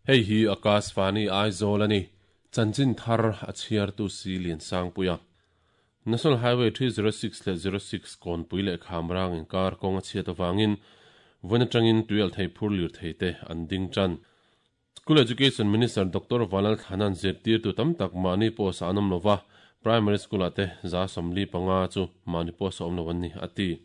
Hei hi Akashvani Aizawl a ni. Chanchin thar a chhiartu si Liansangpuia. National Highway 306 leh 06 kawnpui leh Khamrang inkar kawng a chhiat avangin vawiin atangin tuialhthei phur lirthei te an ding tan. School Education Minister Doctor Vanlal Thlana'n zirtirtu tam tak mahni post ah an awm lova, Primary School ah te 75 chu mahni post a awm lo an ni, a ti.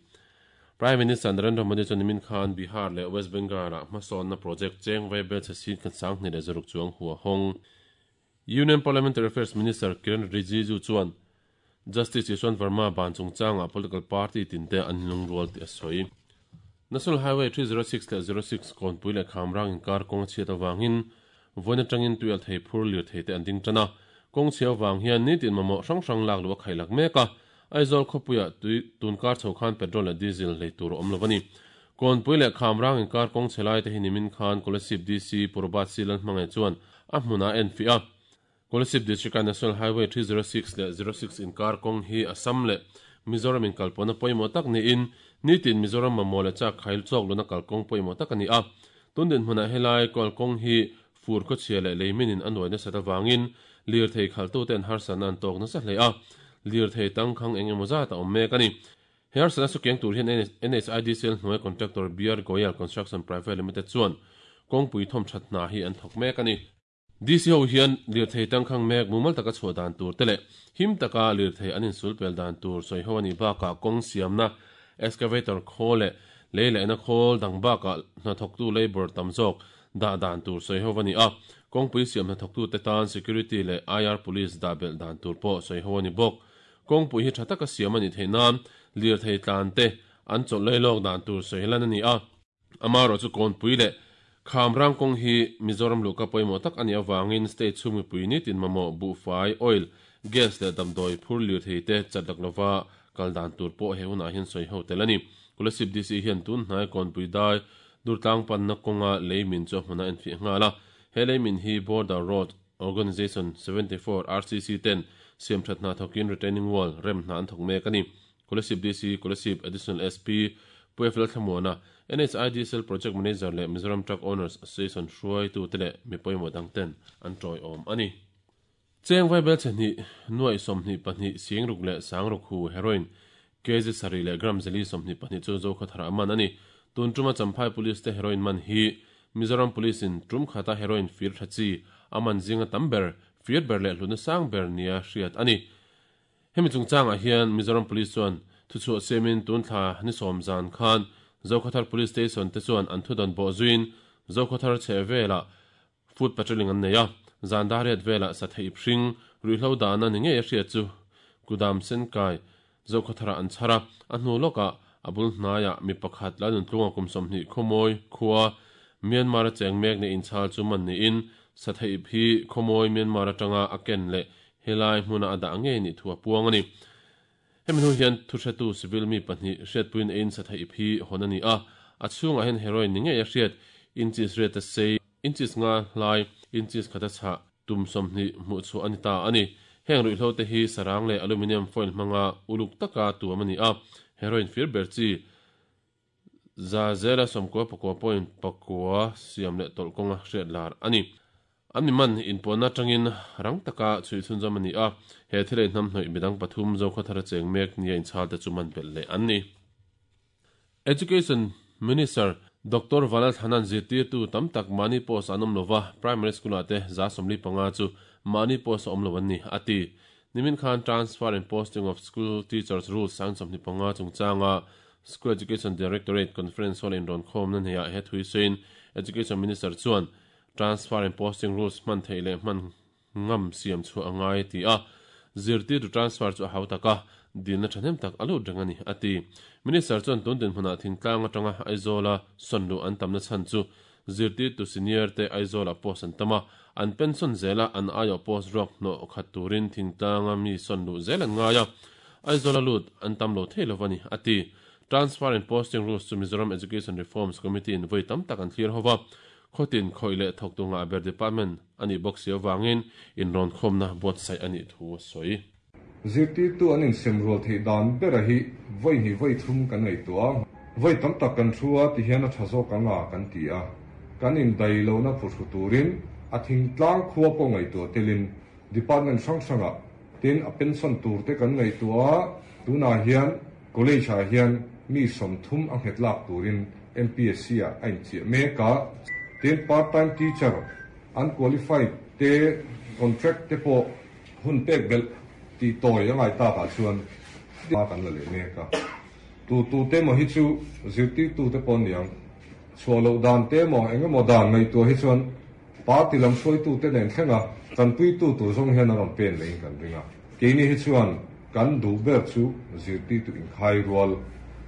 Prime Minister Narendra Modi chuan nimin khan Bihar leh West Bengal ah hmasawnna project cheng vaibel chhe sin khat 2,600 chuang hua hawng. Union Parliamentary Affairs Minister Kiren Rijiju chuan Justice Yashwant Verma ban chungchangah political party tinte an lungrual tih a sawi. National Highway 306 leh 06 kawnpui leh Khamrang inkar kawng a chhiat avangin vawiin atangin tuialhthei phur lirthei te an ding tan a. Kawng chhia avang hian nitin mamawh hrang hrang lak luh a khaih lak mek a. Aizawl khawpuiah tui tunkar chho khan petrol leh diesel lei tur a awm lo a ni. Kawnpui leh Khamrang inkar kawng chhe lai te hi nimin khan Kolasib DC Purbat Silal hmangaih chuan a hmunah a enfiah a. Kolasib District a National Highway 306 leh 06 inkar kawng hi Assam leh Mizoram inkalpawhna pawimawh tak niin nitin Mizoram mamawh leh chak khail chawk luna kalkawng pawimawh tak a ni a. Tun dinhmunah helai kalkawng hi fur khawchhia leh leiminin a nuai nasat avangin lirthei khalhtuten harsatna an tawk nasa hle a. Lirthei tangkhang eng emaw zat a awm mek a ni. He harsatna chu keng tur hian NHIDCL hnuai contractor BR Goyal Construction Private Limited chuan kawngpui thawmthat hna hi an thawk mek a ni. DC ho hian lirthei tangkhang mek mumal taka chhuah dan tur te leh him taka lirthei an insul pel dan tur sawi ho a nih bakah kawng siamna excavator khawl leh lei lehna khawl dang bakah hnathawktu labour tam zawk dah dan tur sawi ho a ni a. Kawngpui siam hnathawktute tan security leh IR police dah belh dan tur pawh sawi ho a ni bawk. Kawngpui hi tha taka siam a nih theih nan lirthei tlan te an chawlh lei lawk dan tur sawi lan a ni a. Amaherawhchu kawnpui leh Khamrang kawng hi Mizoram luhka pawimawh tak a nih avangin state chhung mipui nitin mamawh buhfai, oil, gas leh damdawi phur lirthei te chat lak lova kal dan tur pawh he hunah hian sawi ho tel a ni. Kolasib DC hian tun hnai kawnpui dai Durtlang panna kawnga lei min chu a hmunah a enfiah nghal a. He lei min hi Border Road Organisation 74 RCC ten siamthat hna thawkin retaining wall rem hna an thawk mek a ni. Kolasib DC, Kolasib Additional SP, Pu F Lalthlamuana, NHIDCL Project Manager leh Mizoram Truck Owners Association hruaitute leh mi pawimawh dang ten an tawiawm a ni. Cheng vaibel chhe hnih, nuaih 22 singruk leh sangruk hu heroin kg sarih leh gram zeli 22 chu Zokhawthar ah man a ni. Tun tuma Champhai Police te heroin man hi Mizoram Police in tum khata heroin fir tha chi a man zinga tam ber, fir ber leh hlutna sang ber nia hriat a ni. Hemi chungchangah hian Mizoram Police chuan thuchhuah siamin tun thla ni sawm zan khan Zokhawthar Police Station te chuan an thudawn bawh zuiin Zokhawthar chheh velah foot patrolling an nei a. Zan dariat velah satheih hring ruihhlo dahna ni ngei a hriat chu Kudam Senkai Zokhawtharah an chhar a. A hnu lawkah a bul hnaiah mi pakhat la nuntlunga kum 20 khawmawi khua Myanmar a cheng mek nei inchhal chu man niin satheih hi khawmawi Myanmar atanga a ken leh helai hmuna a dah ngei nih thu a puang a ni. Hemi hnu hian thuhretu civil mi pahnih hriatpuiin ein satheih ip hi hawn a ni a, a chhungah hian heroin ni ngei a hriat, inches riat a sei, inches nga hlai, inches khat a chhah, tum 20 hmuh chhuah a ni ta a ni. Heng ruihhlo te hi sarang leh aluminium foil hmanga uluk taka tuam a ni a, heroin fir ber chi za zela 99.9 siam leh tawlh kawnga hriat lar a ni. An mi man inpuanna atangin rang taka chhui chhunzawm a ni a, he thilei hnam hnawih midang pathum Zokhawthar a cheng mek nia inchhal te chu man belh leh an ni. Education Minister Doctor Vanlal Thlana'n zirtirtu tam tak mahni post an awm lova, primary school ah te 75 chu mahni post a awm lo an ni, a ti. Nimin khan Transfer and Posting of School Teachers Rules 25 chungchanga School Education Directorate Conference Hall inrawn khawmna hneah he thui sawiin Education Minister chuan Transfer and Posting Rules hman theih leh hman ngam siam chhuah a ngai ti a, zirtirtu transfer chu a hau tak a, dilna thahnem tak a lut reng a ni, a ti. Minister chuan tun dinhmunah thingtlang atanga Aizawla sawn luh an tamna chhan chu zirtirtu senior te Aizawlah post an tam a, an pension zela an aiawh post ruak hnawh khat turin thingtlanga mi sawn luh zel an ngai a, Aizawla lut an tam lo thei lo a ni, a ti. Transfer and Posting Rules chu Mizoram Education Reforms Committee in vawi tam tak an thlir ho va, khawtin khawih leh thawktu ngah ber department a nih bawk si avangin inrawn khawmna buatsaih a nih thu a sawi. Zirtirtu an insem rual theih dan bera hi vawi hnih vawi thum kan ngaihtuah a, vawi tam tak kan thu a tihian a tha zawk ang a kan ti a, kan indai lohna phuhru turin. A thingtlang khua pawh ngaihtuah telin department hrang hrangah tin a pension tur te kan ngaihtuah a, tunah hian college ah hian mi 30 a nghet lak turin MPSC ah a inchiah mek a, tin part time teacher unqualified te contract te pawh hun pek belh tih tawi a ngai takah chuan hma kan la leh mek a. Tu tu te emaw hi chu zirtirtu te pawh an ni ang. Chhuah loh dan te emaw eng emaw dan ngaihtuah hi chuan party lam hruaitu te nen thlenga tanpuitu tur zawng hian an rawn pen leh in kan ring a. Keini hi chuan kan duh ber chu zirtirtu inkhai rual,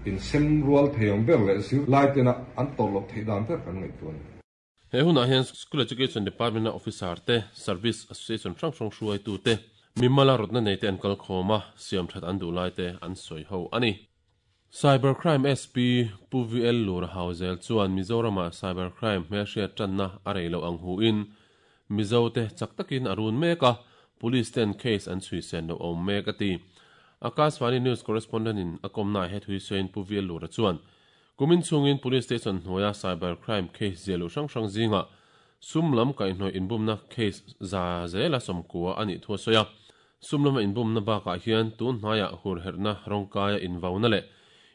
insem rual thei ang ber leh zirlai tena an tawrh loh theih dan ber kan ngaihtuah a ni. He hunah hian School Education Department-a officer te, Service Association hrang hrang hruaitu te, mimala rawtna nei te an kal khawm a, siam that an duh lai te an sawi ho a ni. Cyber Crime SP Pu VL Lura Hauzel chuan Mizoramah Cyber Crime hmelhriat tanna a rei loh ang huin Mizo te chak takin a run mek a, Police ten case an chhui sen loh a awm mek a ti. Akashvani News Correspondent in a kawmnaah he thui sawiin Pu VL Lura chuan Kumin chhungin Police Station hnuaia Cyber Crime case ziah luh hrang hrang zingah sum lam kaihhnawih inbumna case za zela 90 a nih thu a sawi a. Sum lama inbumna bakah hian tun hnaiah hurherhna rawngkaia invauna leh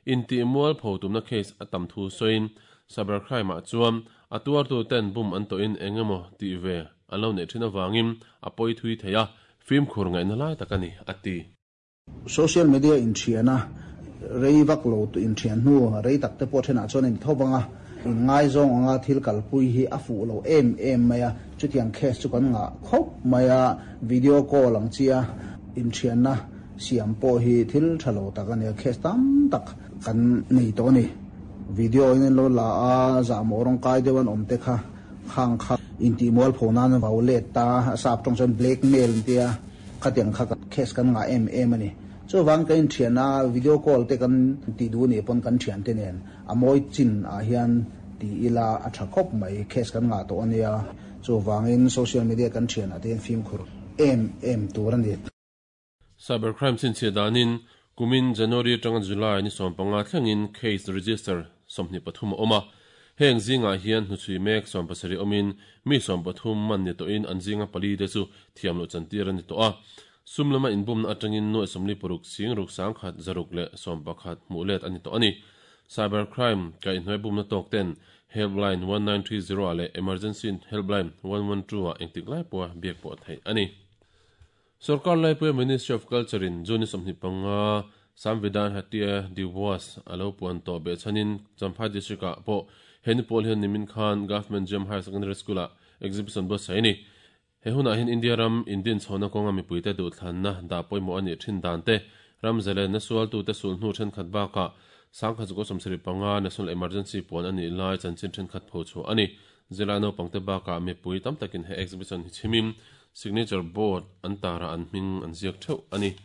intih mualpho tumna case a tam thu sawiin Cyber Crime ah chuan a tuartu ten bum an tawhin eng emaw tih ve an lo neih thin avangin a pawi thui thei a, fimkhur ngaihna lai tak a ni, a ti. Social media inthiana rei vak lo inthian hnu rei tak te pawh thenah chuan in tho vang a, inngaizawng anga thil kalpui hi a fuh lo em em mai a, chutiang case chu kan ngah khawp mai a, video call ang chia inthianna siam pawh hi thil tha lo tak a ni a, case tam tak kan nei tawh a ni. Video in an lo la a, zahmawh rawngkai deuh an awm te kha khang kha intihmualpho nan an vau let ta, a sap tawng chuan blackmail an tia. Khatiang kha case kan ngah em em a ni. Chuvang ka inthian a, video call te kan tih duh nih pawn kan thiante nen a mawi chin ah hian ti ila a tha khawp mai, case kan ngah tawh a nia. Chuvangin social media kan thian ah te hian fimkhur em em tur a ni. Cybercrime chhinchhiah danin kumin January atanga July ni 15 thlengin case register 23 a awm a. Heng zingah hian hnuchhui mek 17 awmin mi 13 man ni tawhin an zinga pali te chu thiam loh chantir a ni tawh a. Sum lama inbumna atangin nuaih 46 sing ruk sangkhat zaruk leh 11 hmuh let a ni tawh a ni. Cyber crime kaihhnuai bumna tawk ten helpline 1930 ah leh emergency helpline 112 ah engtik lai pawha biak pawh theih a ni. Sorkar laipuia Ministry of Culture in June 25 Samvidhan Hatya Diwas a lo puan tawh behchhanin Champhai District ah pawh he ni pawl hian nimin khan Government Gem Higher Secondary School ah exhibition buatsaih a ni. He hunah hian India ram indin chhohna kawnga mipuite duhthlanna dah pawimawh a nih thin dan te, ram zalenna sualtute sulhnu thenkhat bakah 1975 National Emergency puan a nih lai chanchin thenkhat phochhuah a ni. Zirlai naupangte bakah mipui tam takin he exhibition hi chhimin signature board an tarah an hming an ziak theuh a ni.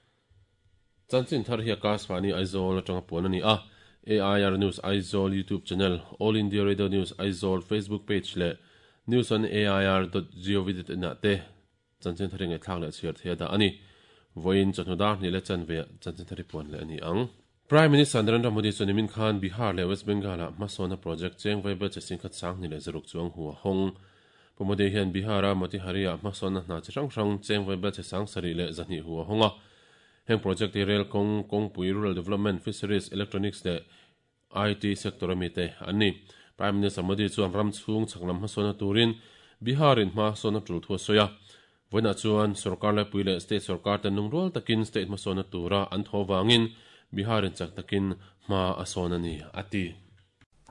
Chanchin thar hi Akashvani Aizawl atanga puan a ni a, AIR News Aizawl YouTube channel, All India Radio News Aizawl Facebook page leh News on AIR dot gov dot in ah te chanchin thar hi ngaihthlak leh chhiar thei a dah a ni. Vawiin chawhnu dar hnih leh chanve ah chanchin thar hi puan leh a ni ang. Prime Minister Narendra Modi chuan nimin khan Bihar leh West Bengal-ah hmasawnna project cheng vaibel che singkhat sang hnih leh zaruk chuang hu a hawng. Pu Modi hian Bihar-a Motihari-ah hmasawnna hna chi hrang hrang cheng vaibel che sang sarih leh zahnih hu a hawng a. Heng project hi rail kawng, kawngpui, rural development, fisheries, electronics leh IT sector a mite an ni. Prime Minister Modi chuan ram chhung chhak lam hmasawnna turin Bihar-in hmasawnna tul thu a sawi a. Vawiinah chuan sorkar laipui leh state sorkar ten lungrual takin state hmasawnna tura an thaw vangin Bihar-in chak takin hma a sawn a ni, a ti.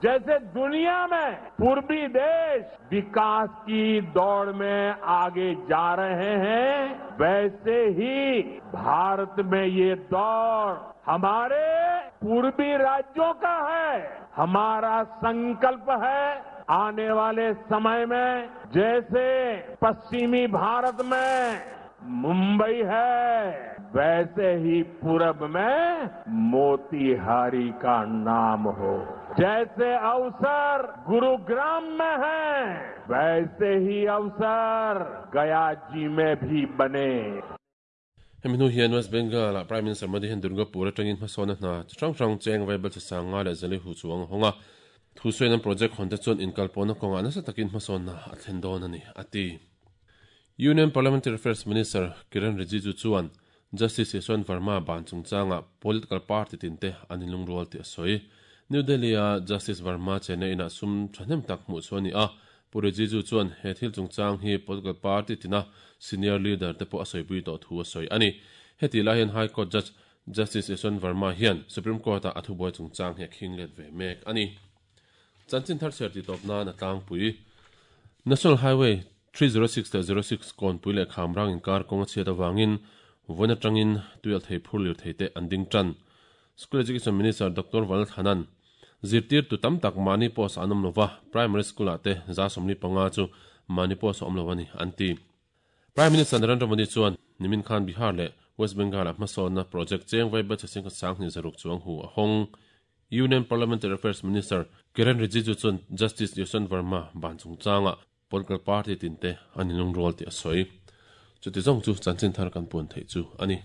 Jaise duniya mein purbi desh vikas ki daud mein aage ja rahe hain, vaise hi Bharat mein ye daud hamare purbi rajyon ka hai. Hamara sankalp hai aane wale samay mein jaise paschimi Bharat mein Mumbai hai, vaise hi purab mein Motihari ka naam ho. Jaise avsar Gurugram mein hai, vaise hi avsar Gaya ji mein bhi bane. Hemi hnu hian West Bengal-ah Prime Minister Modi hian Durgapur atangin hmasawnna hna chi hrang hrang cheng vaibel che sanga leh zali hu chuang a hawng a. Thusawiin an project hawn te chuan inkalpawhna kawngah nasa takin hmasawnna a thlen dawn a ni, a ti. Union Parliamentary Affairs Minister Kiren Rijiju chuan Justice Yashwant Verma ban chungchangah political party tinte an inlungrual tih a sawi. New Delhi-a Justice Verma chenna inah sum thahnem tak hmuh chu a ni a, Pu Rijiju chuan he thil chungchang hi political party tina senior leader te pawh a sawipui tawh thu a sawi a ni. Hetih lai hian High Court Judge Justice Yashwant Verma hian Supreme Court-ah a thubuai chungchang hi a khing let ve mek a ni. Chanchin thar chhiar tih tawp nan a tlangpui. National Highway 306 leh 06 kawnpui leh Khamrang inkar kawng a chhiat avangin vawiin atangin tuialthei phur lirthei te an ding tan. School Education Minister Doctor Valthanan zirtirtu tam tak mahni post ah an awm lova, Primary School ah te 75 chu mahni post a awm lo a ni an ti. Prime Minister Narendra Modi chuan nimin khan Bihar leh West Bengal-ah hmasawnna project cheng vai batch 10,200 chuang hu a hawng. Union Parliamentary Affairs Minister Kiren Rijiju chuan Justice Yashwant Verma ban chungchangah political party tinte an inlungrual tih a sawi. Chuti zawng chu chanchin thar kan puan theih chu a ni.